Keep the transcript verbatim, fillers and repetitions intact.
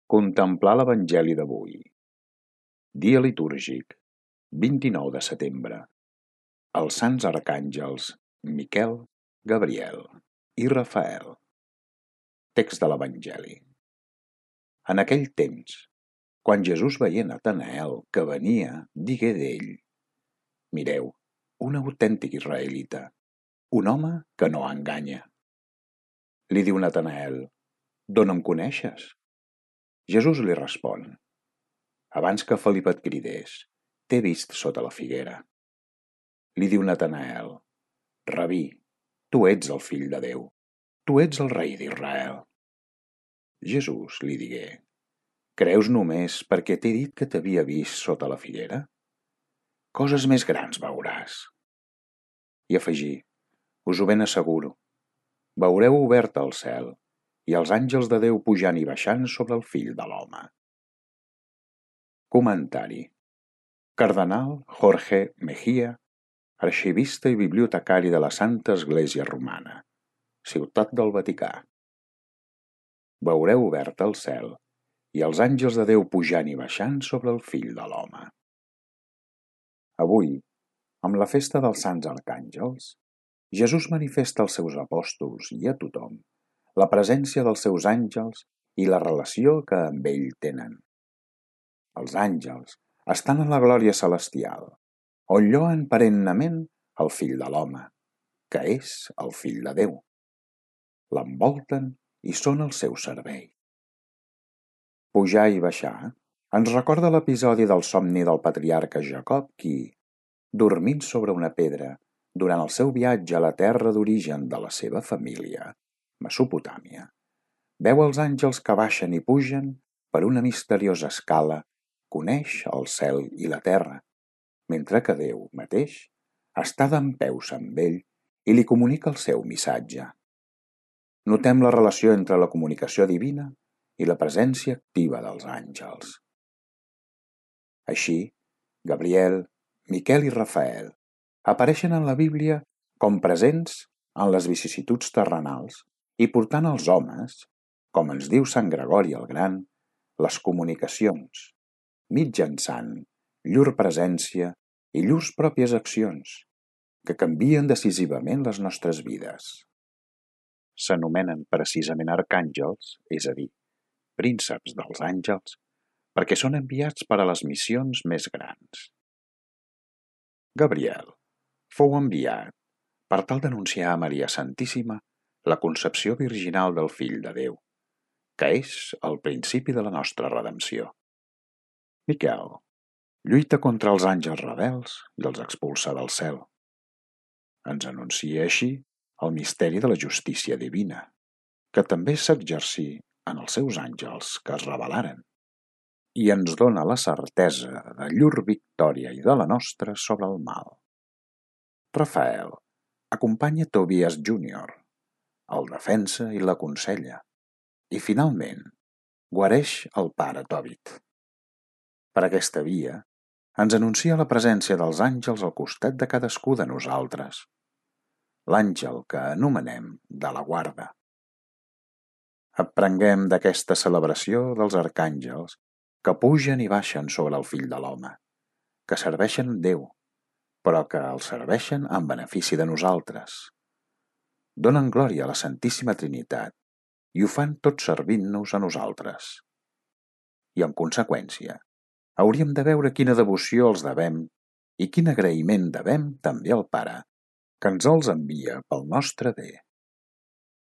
Contemplar l'Evangeli d'avui. Dia litúrgic, vint-i-nou de setembre. Els sants arcàngels Miquel, Gabriel i Rafael. Text de l'Evangeli. En aquell temps, quan Jesús veia Natanael que venia, digué d'ell: Mireu, un autèntic israelita, un home que no enganya. Li diu Natanael: D'on em coneixes? Jesús li respon: Abans que Felip et cridés, t'he vist sota la figuera. Li diu Natanael: Rabí, tu ets el fill de Déu, tu ets el rei d'Israel. Jesús li digué: Creus només perquè t'he dit que t'havia vist sota la figuera? Coses més grans veuràs. I afegí: Us ho ben asseguro, veureu obert el cel i els àngels de Déu pujant i baixant sobre el fill de l'home. Comentari. Cardenal Jorge Mejía, arxivista i bibliotecari de la Santa Església Romana, Ciutat del Vaticà. Veureu obert el cel i els àngels de Déu pujant i baixant sobre el fill de l'home. Avui, amb la festa dels Sants Arcàngels, Jesús manifesta als seus apòstols i a tothom la presència dels seus àngels i la relació que amb ell tenen. Els àngels estan en la glòria celestial, on lloen perennament el fill de l'home, que és el fill de Déu. L'envolten i són al seu servei. Pujar i baixar ens recorda l'episodi del somni del patriarca Jacob qui, dormint sobre una pedra durant el seu viatge a la terra d'origen de la seva família, Mesopotàmia, veu els àngels que baixen i pugen per una misteriosa escala que uneix el cel i la terra, mentre que Déu mateix està dempeus amb ell i li comunica el seu missatge. Notem la relació entre la comunicació divina i la presència activa dels àngels. Així, Gabriel, Miquel i Rafael apareixen en la Bíblia com presents en les vicissituds terrenals i portant als homes, com ens diu Sant Gregori el Gran, les comunicacions, mitjançant llur presència i llurs pròpies accions, que canvien decisivament les nostres vides. S'anomenen precisament arcàngels, és a dir, prínceps dels àngels, perquè són enviats per a les missions més grans. Gabriel fou enviat per tal d'anunciar a Maria Santíssima la concepció virginal del Fill de Déu, que és el principi de la nostra redempció. Miquel lluita contra els àngels rebels i els expulsa del cel. Ens anuncia així el misteri de la justícia divina, que també s'exercí en els seus àngels que es rebel·laren, i ens dona la certesa de llur victòria i de la nostra sobre el mal. Rafael acompanya Tobias júnior, el defensa i l'aconsella, i finalment guareix el pare Tobit. Per aquesta via ens anuncia la presència dels àngels al costat de cadascú de nosaltres, l'àngel que anomenem de la guarda. Aprenguem d'aquesta celebració dels arcàngels que pugen i baixen sobre el fill de l'home, que serveixen Déu, però que el serveixen en benefici de nosaltres. Donen glòria a la Santíssima Trinitat i ho fan tot servint-nos a nosaltres. I en conseqüència, hauríem de veure quina devoció els devem i quin agraïment devem també al Pare, que ens els envia pel nostre bé.